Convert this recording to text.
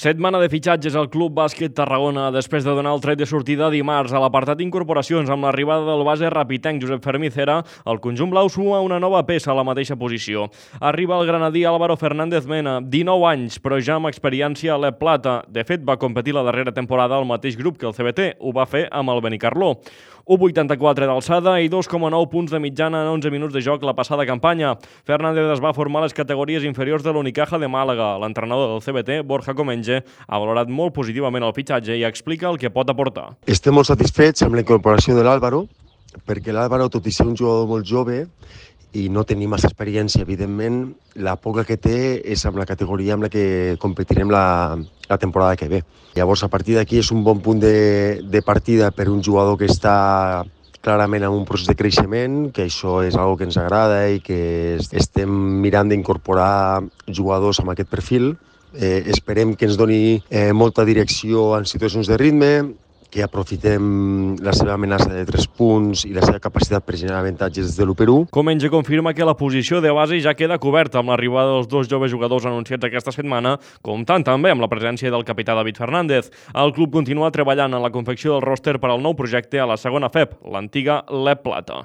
Setmana de fitxatges al Club Bàsquet Tarragona després de donar el tret de sortida dimarts a l'apartat d'incorporacions amb l'arribada del base rapitenc Josep Fermí Cera, el conjunt blau suma una nova peça a la mateixa posició. Arriba el granadí Álvaro Fernández Mena, 19 anys, però ja amb experiència a l'Ep Plata. De fet, va competir la darrera temporada al mateix grup que el CBT, ho va fer amb el Benicarló. 1,84 d'alçada i 2,9 punts de mitjana en 11 minuts de joc la passada campanya. Fernández es va formar a les categories inferiors de l'Unicaja de Màlaga. L'entrenador del CBT, Borja Comenge, ha valorat molt positivament el fitxatge i explica el que pot aportar. Estem molt satisfets amb la incorporació de l'Álvaro, perquè l'Álvaro, tot i ser un jugador molt jove i no tenir massa experiència, evidentment, la poca que té és amb la categoria amb la que competirem la temporada que ve. Llavors, a partir d'aquí és un bon punt de partida per un jugador que està clarament en un procés de creixement, que això és una que ens agrada i que estem mirant d'incorporar jugadors amb aquest perfil. Esperem que ens doni molta direcció en situacions de ritme, que aprofitem la seva amenaça de 3 punts i la seva capacitat per generar avantatges des de l'1-1. Comenge confirma que la posició de base ja queda coberta amb l'arribada dels dos joves jugadors anunciats aquesta setmana, comptant també amb la presència del capità David Fernández. El club continua treballant en la confecció del ròster per al nou projecte a la segona FEP, l'antiga l'Ep Plata.